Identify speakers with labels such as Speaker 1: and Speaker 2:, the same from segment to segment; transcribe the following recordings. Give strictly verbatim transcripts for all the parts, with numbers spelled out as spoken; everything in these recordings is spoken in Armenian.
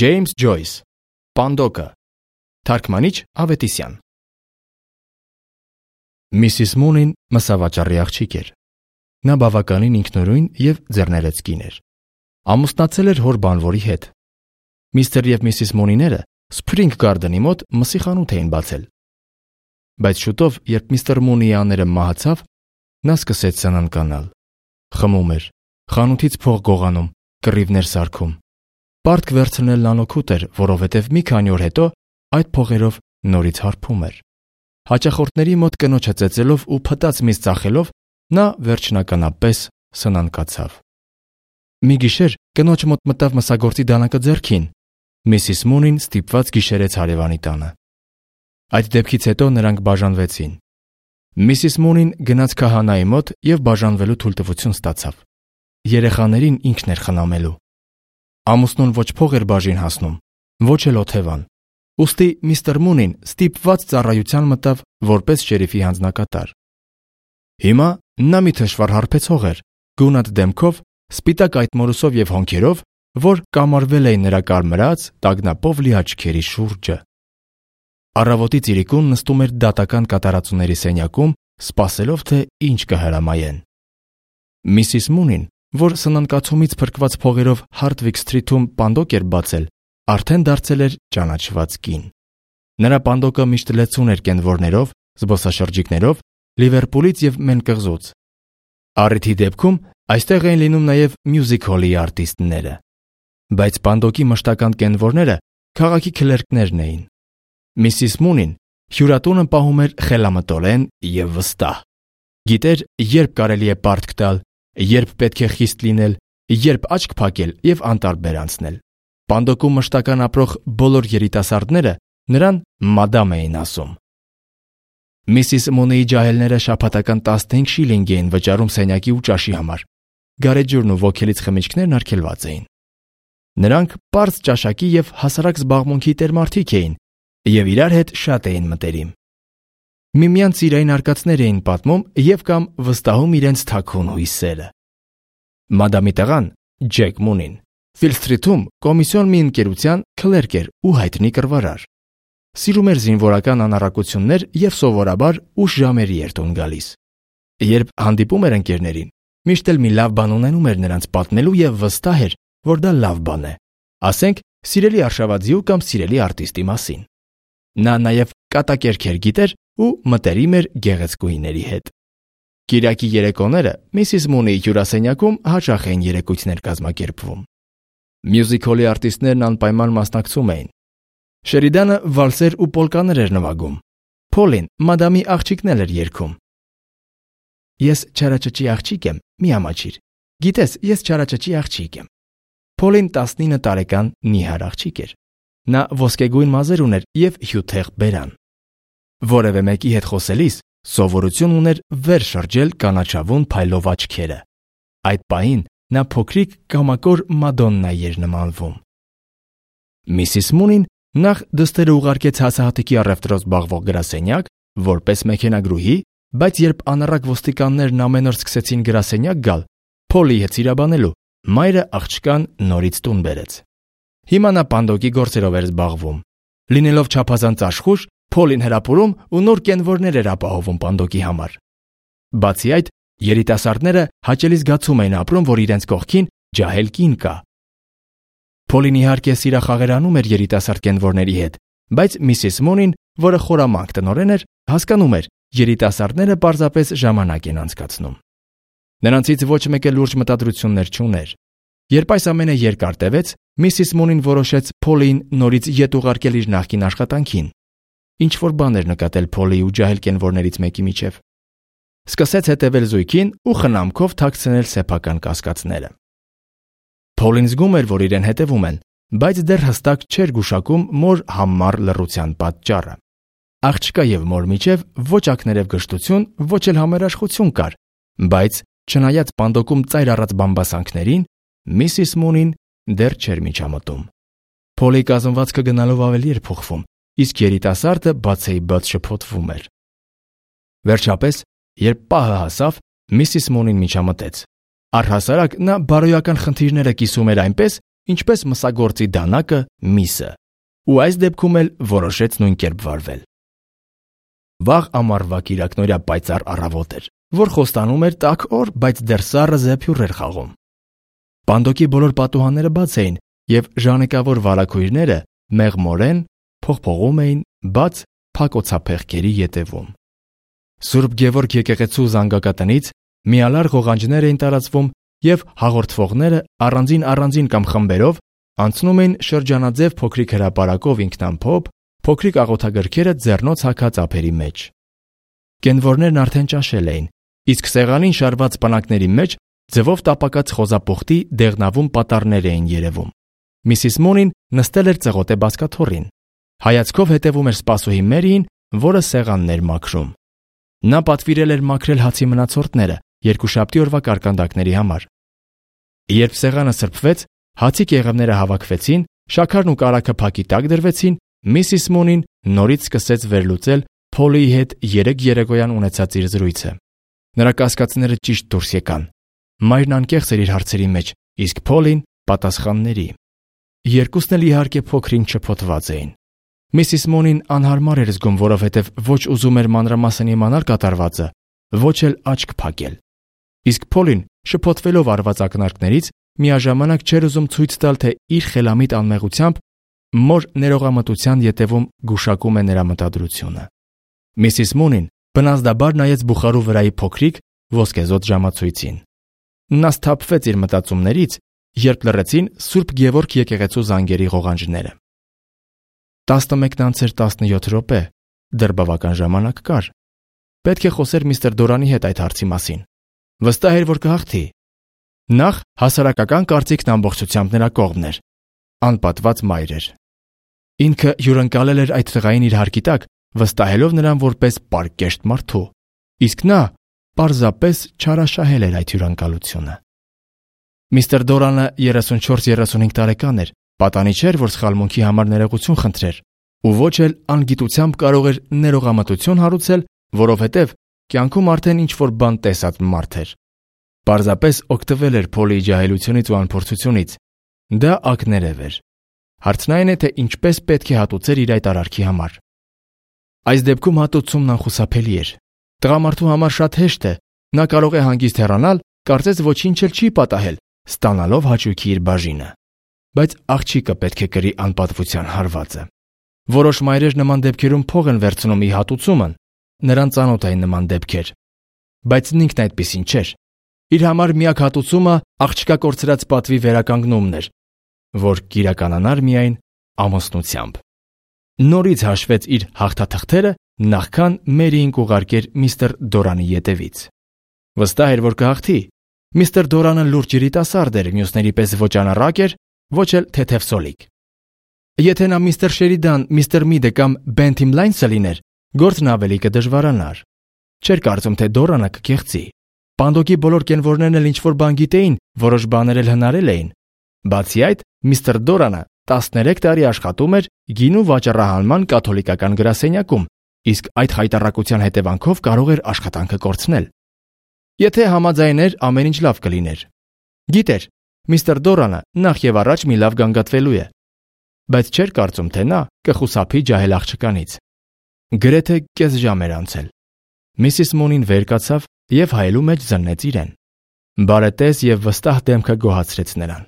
Speaker 1: Ջեյմս Ջոյս, Պանդոկը, Թարգմանիչ Ավետիսյան։ Միսիս Մունին մսավաճառի աղջիկ էր։ Նա բավականին ինքնուրույն և ձեռներեց կին էր։ Ամուսնացել էր հոր բանվորի հետ։ Միստր և Միսիս Մունիները Սփրինգ Գարդենի մոտ մսի խանութ էին բացել։ Բայց շուտով, երբ միստր Մունիի աները մահացավ, նա սկսեց սնանկանալ։ Խմում էր, խանութից փող գողանում, կռիվներ սարքում։ Պարտք վերցնելն անօգուտ էր, որովհետև մի քանի օր հետո այդ փողերով նորից հարբում էր։ Հաճախորդների մոտ կնոջը ծեծելով ու փտած միս ծախելով նա վերջնականապես սնանկացավ։ Մի գիշեր կնոջ մոտ մտավ մսագործի դանակը ձեռքին։ Միսիս Մունին ստիպված գիշերեց հարևանի տանը։ Այդ դեպքից հետո նրանք բաժանվեցին։ Միսիս Մունին գնաց քահանայի մոտ և բաժանվելու թույլտվություն ստացավ։ Երեխաներին ինքն էր խնամելու։ Ամուսնուն ոչ փող էր բաժին հասնում, ոչ էլ օթևան։ Ուստի միստր Մունին ստիպված ծառայության մտավ որպես շերիֆի հանձնակատար։ Հիմա նա մի թշվառ հարբեցող էր, գունատ դեմքով, սպիտակ այտմորուսով և հոնքերով, որ կամարվել էին նրա կարմրած, տագնապով լի աչքերի շուրջը։ Առավոտի ծիրիկուն նստում էր դատական կատարածուների սենյակում, սպասելով, թե ինչ կհրամայեն։ Միսիս Մունին, որ սնանկացումից փրկված փողերով Հարթվիկ Սթրիթում պանդոկ էր բացել, արդեն դարձել էր ճանաչված կին։ Նրա պանդոկը միշտ լեցուն էր կենվորներով, զբոսաշրջիկներով, Լիվերպուլից և Մենկղզուց։ Առիթի դեպքում այստեղ էին լինում նաև մյուզիկ հոլի արտիստները։ Բայց պանդոկի մշտական կենվորները քաղաքի քլերկներն էին։ Միսիս Մունին հյուրատունը պահում էր խելամտորեն և վստահ։ Գիտեր, երբ կարելի է պարտք տալ, երբ պետք է խիստ լինել, երբ աչք փակել և անտարբեր անցնել։ Պանդոկում մշտական ապրող բոլոր երիտասարդները նրան մադամ էին ասում։ Միսիս Մունիի ջահելները շաբաթական տասնհինգ շիլինգ էին վճարում սենյակի ու ճաշի համար։ Գարեջուրն ու ոգելից խմիչքներն արգելված էին։ Նրանք պարզ ճաշակի և հասարակ զբաղմունքի տերմարդիկ էին և իրար հետ շատ էին մտերիմ։ Միմյանց սիրային արկածներ էին պատմում և կամ վստահում իրենց թաքուն հույսերը։ Մադամի տղան, Ջեք Մունին, Ֆիլ Սթրիթում կոմիսիոն մի ընկերության քլերկ էր ու հայտնի կռվարար։ Սիրում էր զինվորական անառակություններ և սովորաբար ուշ ժամերի էր տուն գալիս։ Երբ հանդիպում էր ընկերներին, միշտ էլ մի լավ բան ունենում էր նրանց պատմելու և վստահ էր, որ դա լավ բան է, ասենք սիրելի արշավաձիու կամ սիրելի արտիստի մասին։ Նա նաև կատակերգեր գիտեր ու մտերիմ էր գեղեցկուհիների հետ։ Կիրակի երեկոները Միսիս Մունիի հյուրասենյակում հաճախ էին երեկույթներ կազմակերպվում։ Մյուզիկ հոլի արտիստներն անպայման մասնակցում էին։ Շերիդանը վալսեր ու պոլկաներ էր նվագում։ Փոլին մադամի աղջիկն էր երգում։ Ես չարաճճի աղջիկ եմ, մի ամաչիր։ Գիտես, ես չարաճճի աղջիկ եմ։ Փոլին տասնինը տարեկան նիհար աղջիկ էր։ Նա ոսկեգույն մազեր ուներ և հյութեղ բերան։ Որևէ մեկի հետ խոսելիս սովորություն ուներ վեր շրջել կանաչավուն փայլով աչքերը։ Այդ պահին նա փոքրիկ կամակոր Մադոննայի էր նմանվում։ Միսիս Մունին նախ դստերը ուղարկեց հացահատիկի առևտրով զբաղվող գրասենյակ, որպես մեքենագրուհի, բայց երբ անառակ ոստիկաններն ամեն օր սկսեցին գրասենյակ գալ, Փոլի հետ սիրաբանելու, մայրը աղջկան նորից տուն բերեց։ Հիմա նա պանդոկի գործերով էր զբաղվում։ Լինելով չափազանց աշխույժ, Փոլին հրապուրում ու նոր կենվորներ էր ապահովում պանդոկի համար։ Բացի այդ, երիտասարդները հաճելի զգացում էին ապրում, որ իրենց կողքին ջահել կին կա։ Փոլին իհարկե սիրախաղերանում էր երիտասարդ կենվորների հետ, բայց Միսիս Մունին, որը խորամանկ տնօրեն էր, հասկանում էր, երիտասարդները պարզապես ժամանակ են անցկացնում։ Նրանցից ոչ մեկը լուրջ մտադրություններ չուներ։ Երբ այս ամենը երկար տևեց, Միսիս Մունին որոշեց Փոլին նորից ետ ուղարկել իր նախկին աշխատանքին։ Ինչ-որ բան էր նկատել Փոլի ու ջահել կենվորներից մեկի միջև։ Սկսեց հետևել զույգին ու խնամքով թաքցնել սեփական կասկածները։ Փոլին զգում էր, որ իրեն հետևում են, բայց դեռ հստակ չէր գուշակում մոր համառ լռության պատճառը։ Աղջկա և մոր միջև ոչ ակներև գժտություն, ոչ էլ համերաշխություն կար, բայց չնայած պանդոկում ծայր առած բամբասանքներին, Միսիս Մունին դեռ չէր միջամտում։ Փոլի կազմվածքը գնալով ավելի էր փոխվում, իսկ երիտասարդը բացեի բաց շփոթվում էր։ Վերջապես, երբ պահը հասավ, Միսիս Մունին միջամտեց։ Առհասարակ նա բարոյական խնդիրները կիսում էր այնպես, ինչպես մսագործի դանակը միսը, ու այս դեպքում էլ որոշեց նույն կերպ վարվել։ Վաղ ամառվա կիրակնօրյա պայծառ առավոտ էր, որ խոստանում էր տաք օր, բայց դեռ սառը զեփյուռ էր խաղում։ Պանդոկի բոլոր պատուհանները բաց էին, եւ ժանեկավոր վարագույրները մեղմորեն փողփողում էին բաց փակոցափեղկերի ետևում։ Սուրբ Գևորգ եկեղեցու զանգակատնից միալար ղողանջներ էին տարածվում եւ հաղորդվողները առանձին-առանձին կամ խմբերով անցնում էին շրջանաձև փոքրիկ հրապարակով ինքնամփոփ, փոքրիկ աղոթագրքերը ձեռնոց հագած ափերի մեջ։ Կենվորներն արդեն ճաշել էին, իսկ սեղանին շարված պնակների մեջ ձվով տապակած խոզապուխտի դեղնավուն պատառներ էին երևում։ Միսիս Մոնին նստել էր ծղոտե բազկաթոռին։ Հայացքով հետևում էր սպասուհի Մերիին, որը սեղանն էր մաքրում։ Նա պատվիրել էր մաքրել հացի մնացորդները երկուշաբթի օրվա կարկանդակների համար։ Երբ սեղանը սրբվեց, հացի կեղևները հավաքվեցին, շաքարն ու կարագը փակի տակ դրվեցին, Միսիս Մոնին նորից սկսեց վերլուծել Փոլիի հետ երեք երեկոյան ունեցած իր զրույցը։ Նրա կասկածները ճիշտ դուրս եկան։ Մայրն անկեղծ էր իր հարցերի մեջ, իսկ Փոլին պատասխանների։ Երկուսն էլ իհարկե փոքրինչ շփոթված էին։ Միսիս Մոնին անհարմար էր զգում, որովհետև ոչ ուզում էր մանրամասն իմանալ կատարվածը, ոչ էլ աչք փակել։ Իսկ Փոլին, շփոթվելով արված ակնարկներից, միաժամանակ չէր ուզում ցույց տալ, թե իր խելամիտ անմեղությամբ մոր ներողամտության ետևում գուշակում է նրա մտադրությունը։ Միսիս Մոնին բնազդաբար նայեց բուխարու վրայի փոքրիկ ոսկեզօծ ժամացույցին։ Նա սթափվեց իր մտածումներից, երբ լռեցին Սուրբ Գևորգ եկեղեցու զանգերի ղողանջները։ տասնմեկն անց էր տասնյոթ րոպե, դեռ բավական ժամանակ կար։ Պետք է խոսեր միստր Դորանի հետ այդ հարցի մասին։ Վստահ էր, որ կհաղթի։ Նախ հասարակական կարծիքն ամբողջությամբ նրա կողմն էր։ Անպատված մայր էր։ Ինքը հյուրընկալել էր այդ տղային իր հարկի տակ, վստահելով նրան որպես պարկեշտ մարդու, իսկ նա պարզապես չարաշահել էր այդ հյուրընկալությունը։ Միստր Դորանը երեսունչորս երեսունհինգ տարեկան էր, պատանի չէր, որ սխալմունքի համար ներողություն խնդրեր, ու ոչ էլ անգիտությամբ կարող էր ներողամտություն հարուցել, որովհետև կյանքում արդեն ինչ-որ բան տեսած մարդ էր։ Պարզապես օգտվել էր Փոլիի ջահելությունից ու անփորձությունից։ Դա ակներև էր։ Հարցն այն է, թե ինչպես պետք է հատուցեր իր այդ արարքի համար։ Այս դեպքում հատուցումն անխուսափելի էր։ Տղամարդու համար շատ հեշտ է, նա կարող է հանգիստ հեռանալ, կարծես ոչինչ էլ չի պատահել, ստանալով հաճույքի իր բաժինը։ Բայց աղջիկը պետք է կրի անպատվության հարվածը։ Որոշ մայրեր նման դեպքերում փող են վերցնում ի հատուցումն, նրան ծանոթ էին նման դեպքեր։ Բայց ինքն այդպիսին չէր։ Իր համար միակ հատուցումը աղջկա կորցրած պատվի վերականգնումն էր, որ կիրականանար միայն ամուսնությամբ։ Նորից հաշվեց իր հաղթաթղթերը, նախքան Մերիին կուղարկեր միստր Դորանի ետևից։ Վստահ էր, որ կհաղթի։ Միստր Դորանը լուրջ երիտասարդ էր, մյուսների պես ոչ անառակ էր, ոչ էլ թեթևսոլիկ։ Եթե նա միստր Շերիդան, միստր Միդը կամ Բենթիմ Լայնսը լիներ, գործն ավելի կդժվարանար։ Չէր կարծում, թե Դորանը կկեղծի։ Պանդոկի բոլոր կենվորներն էլ ինչ-որ բան գիտեին, որոշ բաներ էլ հնարել էին։ Բացի այդ, միստր Դորանը տասներեք տարի աշխատում էր գինու վաճառահանման կաթոլիկական գրասենյակում, իսկ այդ խայտառակության հետևանքով կարող էր աշխատանքը կորցնել։ Եթե համաձայներ, ամեն ինչ լավ կլիներ։ Գիտեր, միստր Դորանը նախ եւ առաջ մի լավ գանգատվելու է, բայց չէր կարծում, թե նա կխուսափի ջահել աղջկանից։ Գրեթե կես ժամ էր անցել։ Միսիս Մոնին վեր կացավ եւ հայելու մեջ զննեց իրեն։ Բարետես եւ վստահ դեմքը գոհացրեց նրան։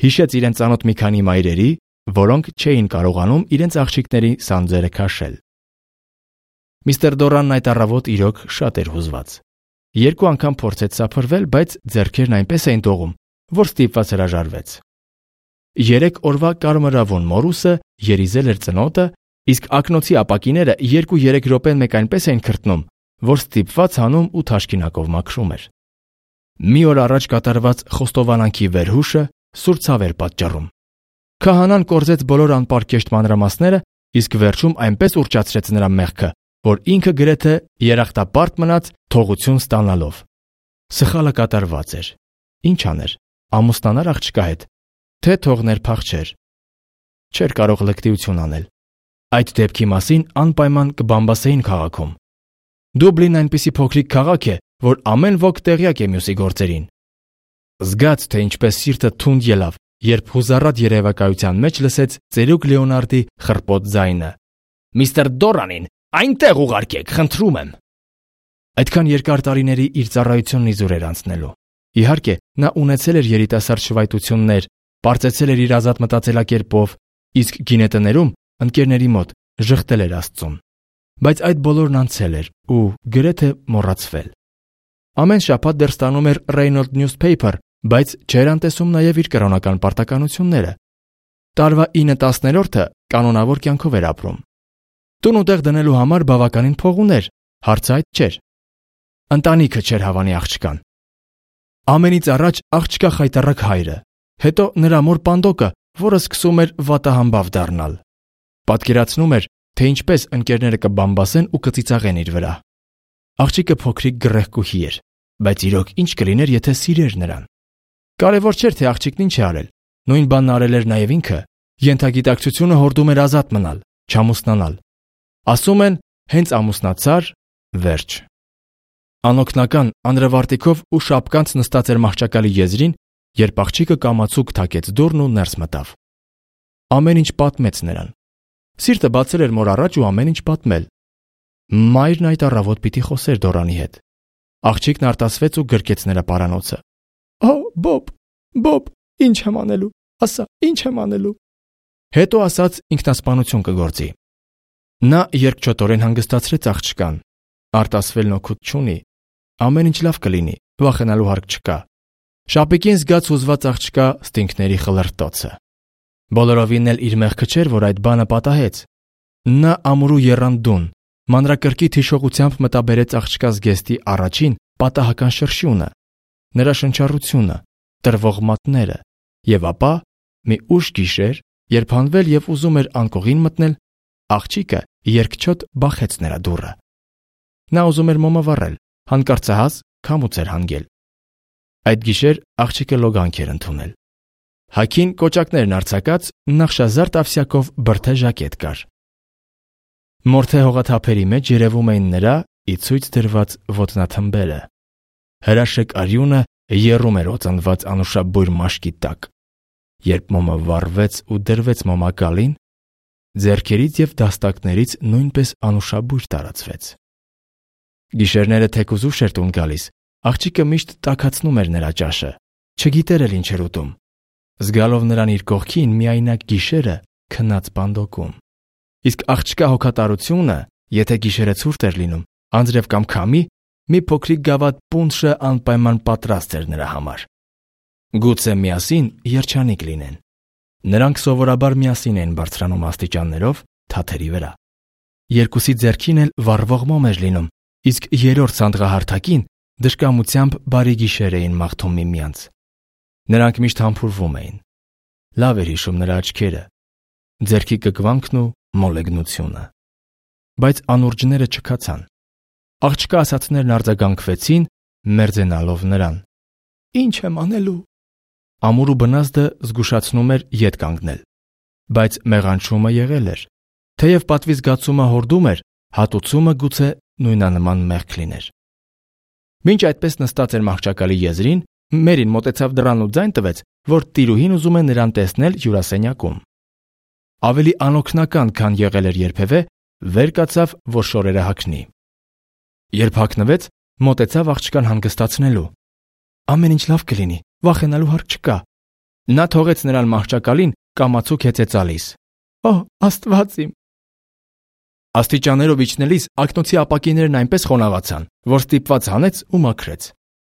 Speaker 1: Հիշեց իրեն ծանոթ մի քանի մայրերի, որոնք չէին կարողանում իրենց աղջիկների սանձերը քաշել։ Միստր Դորանն այդ առավոտ իրոք շատ էր հուզված։ Երկու անգամ փորձեց սափրվել, բայց ձեռքերն այնպես էին տողում, որ ստիպված հրաժարվեց։ Երեք օրվա կարմրավուն մորուսը երիզել էր ծնոտը, իսկ ակնոցի ապակիները երկու-երեք րոպեն մեկ այնպես էին քրտնում, որ ստիպված հանում ու թաշկինակով մաքրում էր։ Մի օր առաջ կատարված խոստովանանքի վերհուշը սուր ցավ էր պատճառում։ Քահանան կորզեց բոլոր անպարկեշտ մանրամասները, իսկ վերջում այնպես ուրճացրեց նրա մեղքը, որ ինքը գրեթե երախտապարտ մնաց թողություն ստանալով։ Սխալը կատարված էր։ Ինչ աներ, ամուսնանար աղջկա հետ, թե թողներ փախչեր։ Չէր կարող լկտիություն անել։ Այդ դեպքի մասին անպայման կբամբասեին քաղաքում։ Դուբլին այնպիսի փոքրիկ քաղաք է, որ ամեն ոք տեղյակ է մյուսի գործերին։ Զգաց, թե ինչպես սիրտը թունդ ելավ, երբ հուզառատ երևակայության մեջ լսեց ծերուկ Լեոնարդի խռպոտ ձայնը. «Միստր Դորանին, այնտեղ ուղարկեք, խնդրում եմ»։ Այդքան երկար տարիների իր ծառայությունն իզուր էր անցնելու։ Իհարկե, նա ունեցել էր երիտասարդ շվայտություններ, պարծեցել էր իր ազատ մտածելակերպով, իսկ գինետներում ընկերների մոտ ժխտել էր Աստծուն։ Բայց այդ բոլորն անցել էր ու գրեթե մոռացվել։ Ամեն շաբաթ դեռ ստանում էր Reynolds Newspaper, բայց չէր անտեսում նաև իր կրոնական պարտականությունները։ Տարվա ինը տասներորդը կանոնավոր կյանքով էր ապրում։ Տուն ու տեղ դնելու համար բավականին փող ուներ, հարցը այդ չէր։ Ընտանիքը չէր հավանի աղջկան։ Ամենից առաջ աղջկա խայտառակ հայրը, հետո նրա մոր Պանդոկը, որը սկսում էր վատահամբավ դառնալ։ Պատկերացնում էր, թե ինչպես ընկերները կբամբասեն ու կծիծաղեն իր վրա։ Աղջիկը փոքրիկ գրեհկուհի էր, բայց իրոք ինչ կլիներ, եթե սիրեր նրան։ Կարևոր չէր, թե աղջիկն ինչ է արել։ Նույն բանն արել էր նաև ինքը։ Ենթագիտակցությունը հորդում էր ազատ մնալ, չամուսնանալ։ Ասում են, հենց ամուսնացար, վերջ։ Անօգնական անրվարտիկով ու շապկանց նստած էր մահճակալի եզրին, երբ աղջիկը կամացուկ թակեց դուռն ու ներս մտավ։ Ամեն ինչ պատմեց նրան։ Սիրտը բացել էր մոր առաջ ու ամեն ինչ պատմել։ Մայրն այդ առավոտ պիտի խոսեր Դորանի հետ։ Աղջիկն արտասվեց ու գրկեց նրա պարանոցը։ «Օ, Բոբ, Բոբ, ինչ եմ անելու, ասա, ինչ եմ անելու»։ Հետո ասաց ինքնասպանություն կգործի։ Նա երկչոտորեն հանգստացրեց աղջկան։ Արտասվելն օգուտ չունի։ Ամեն ինչ լավ կլինի, վախենալու հարկ չկա։ Շապիկին զգաց հուզված աղջկա ստինքների խլրտոցը։ Բոլորովին էլ իր մեղքը չէր, որ այդ բանը պատահեց։ Նա ամուրու եռան դուն, մանրակրկիտ հիշողությամբ մտաբերեց աղջկա զգեստի առաջին պատահական շրշյունը, նրա շնչառությունը, տրվող մատները, եւ ապա մի ուշ գիշեր, երբ հանվել եւ ուզում էր անկողին մտնել, աղջիկը երկչոտ բախեց նրա դուռը։ Նա ուզում էր մոմը վառել, հանկարծահաս քամուց էր հանգել։ Այդ գիշեր աղջիկը լոգանք էր ընդունել։ Հագին կոճակներն արձակած նախշազարդ ավսյակով բրդե ժակետ կար։ Մորթե հողաթափերի մեջ երևում էին նրա ի ցույց դրված ոտնաթմբերը։ Հրաշեք արյունը եռում էր օծանված անուշաբույր մաշկի տակ։ Երբ մոմը վառվեց ու դրվեց մոմակալին, ձեռքերից եւ դաստակներից նույնպես անուշաբույր տարածվեց։ Գիշերները թեկուզ ուշ էր տուն գալիս, աղջիկը միշտ տաքացնում էր նրա ճաշը, չգիտեր էլ ինչ էր ուտում։ Զգալով նրան իր կողքին միայնակ գիշերը քնած Պանդոկում։ Իսկ աղջկա հոգատարությունը, եթե գիշերը ցուրտ էր լինում, անձրև կամ քամի, մի փոքրիկ գավաթ պունշը անպայման պատրաստ էր նրա համար։ Գուցե միասին երջանիկ լինեն։ Նրանք սովորաբար միասին են բարձրանում աստիճաններով թաթերի վրա։ Երկուսի ձեռքին էլ վառվող մոմ էր լինում, իսկ երրորդ սանդղահարթակին դժկամությամբ բարի գիշեր էին մաղթում միմյանց։ Նրանք միշտ համբուրվում էին։ Լավ էր հիշում նրա աչքերը, ձեռքի կկվանքն ու մոլեգնությունը։ Բայց անուրջները չքացան։ Աղջկա ասածներն արձագանքվեցին, մերձենալով նրան։ Ինչ եմ անելու։ Ամուրու բնազդը զգուշացնում էր ետ կանգնել, բայց մեղանչումը եղել էր։ Թեև պատվի զգացումը հորդում էր, հատուցումը գուցե նույնանման մեղք լիներ։ Մինչ այդպես նստած էր մահճակալի եզրին, Մերին մոտեցավ դռան ու ձայն տվեց, որ տիրուհին ուզում է նրան տեսնել հյուրասենյակում։ Ավելի անօգնական, քան եղել էր երբևէ, վեր կացավ, որ շորերը հագնի։ Երբ հագնվեց, մոտեցավ աղջկան հանգստացնելու։ Ամեն ինչ լավ կլինի, վախենալու հարկ չկա։ Նա թողեց նրան մահճակալին, կամացուկ հեծեծալիս։ Օ, Աստված իմ։ Աստիճաններով իջնելիս ակնոցի ապակիներն այնպես խոնավացան, որ ստիպված հանեց ու մաքրեց։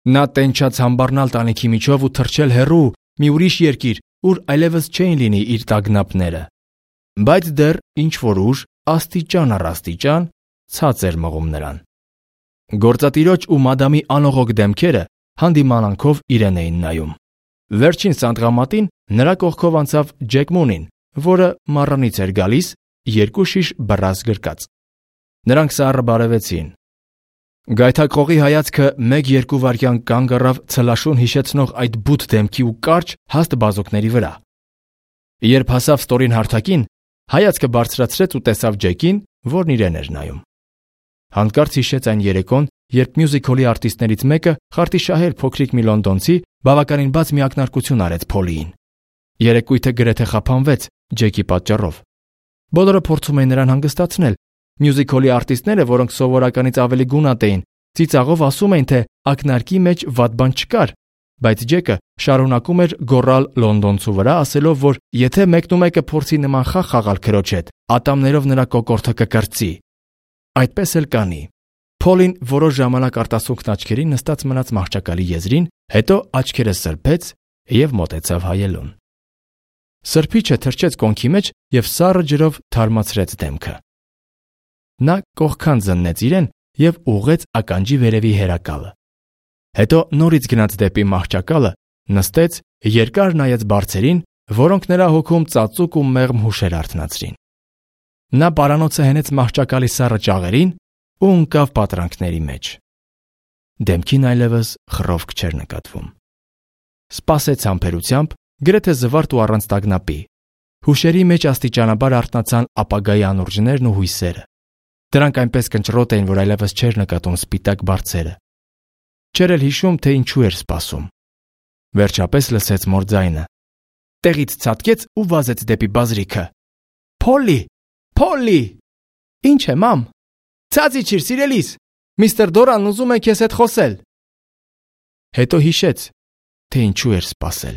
Speaker 1: Նա տենչաց համբառնալ տանիքի միջով ու թռչել հեռու մի ուրիշ երկիր, ուր այլևս չէին լինի իր տագնապները։ Բայց դեռ ինչ որ ուժ, աստիճան առ աստիճան ցած էր մղում նրան։ Գործատիրոջ ու մադամի անողոք դեմքերը հանդիմանանքով իրեն էին նայում։ Վերջին սանդղամատին նրա կողքով անցավ Ջեք Մունին, որը մառանից էր գալիս, երկու շիշ բռազ գրկած։ Նրանք սառը բարևեցին։ Գայթակղողի հայացքը մեկ-երկու վայրկյան կանգ առավ ցլաշուն հիշեցնող այդ բութ դեմքի ու կարճ հաստ բազուկների վրա։ Երբ հասավ ստորին հարթակին, հայացքը բարձրացրեց ու տեսավ Ջեկին, որն իրեն էր նայում։ Հանկարծ հիշեց այն երեկոն, երբ մյուզիքոլի արտիստներից մեկը խարտիշահեր փոքրիկ մի լոնդոնցի բավականին բաց մի ակնարկություն արեց Փոլիին։ Երեկույթը գրեթե խափանվեց Ջեքի պատճառով։ Բոլորը փորձում էին նրան հանգստացնել։ Մյուզիքոլի արտիստները, որոնք սովորականից ավելի գունատ էին, ծիծաղով ասում էին, թե ակնարկի մեջ վատ բան չկար, բայց Ջեկը շարունակում էր գոռալ լոնդոնցու վրա, ասելով, որ եթե մեկնումեկը փորձի նման խաղ խաղալ քրոջ հետ, ատամներով նրա կոկորդը կկրծի։ Այդպես էլ կանի։ Փոլին որոշ ժամանակ արտասուքն աչքերին նստած մնաց մահճակալի եզրին, հետո աչքերը սրբեց եւ մոտեցավ հայելուն։ Սրբիչը թրջեց կոնքի մեջ եւ սառը ջրով թարմացրեց դեմքը։ Նա կողքան զննեց իրեն եւ ուղղեց ականջի վերևի հերակալը։ Հետո նորից գնաց դեպի մահճակալը, նստեց, երկար նայեց բարձերին, որոնք նրա հոգում ծածուկ ու մեղմ հուշեր արթնացրին։ Նա պարանոցը հենեց մահճակալի սառը ճաղերին ու ընկավ պատրանքների մեջ։ Դեմքին այլևս խռովք չէր նկատվում։ Սպասեց համբերությամբ, գրեթե զվարթ ու առանց տագնապի։ Հուշերի մեջ աստիճանաբար արթնացան ապագայի անուրջներն ու հույսերը։ Դրանք այնպես կնճռոտ էին, որ այլևս չէր նկատում սպիտակ բարձերը։ Չէր էլ հիշում, թե ինչու էր սպասում։ Վերջապես լսեց մոր ձայնը։ Տեղից ցատկեց ու վազեց դեպի բազրիքը։ Փոլի, Փոլի։ Ինչ է, մամ։ Ցած իջիր, սիրելիս։ Միստր Դորանն ուզում է քեզ հետ խոսել։ Հետո հիշեց, թե ինչու էր սպասել։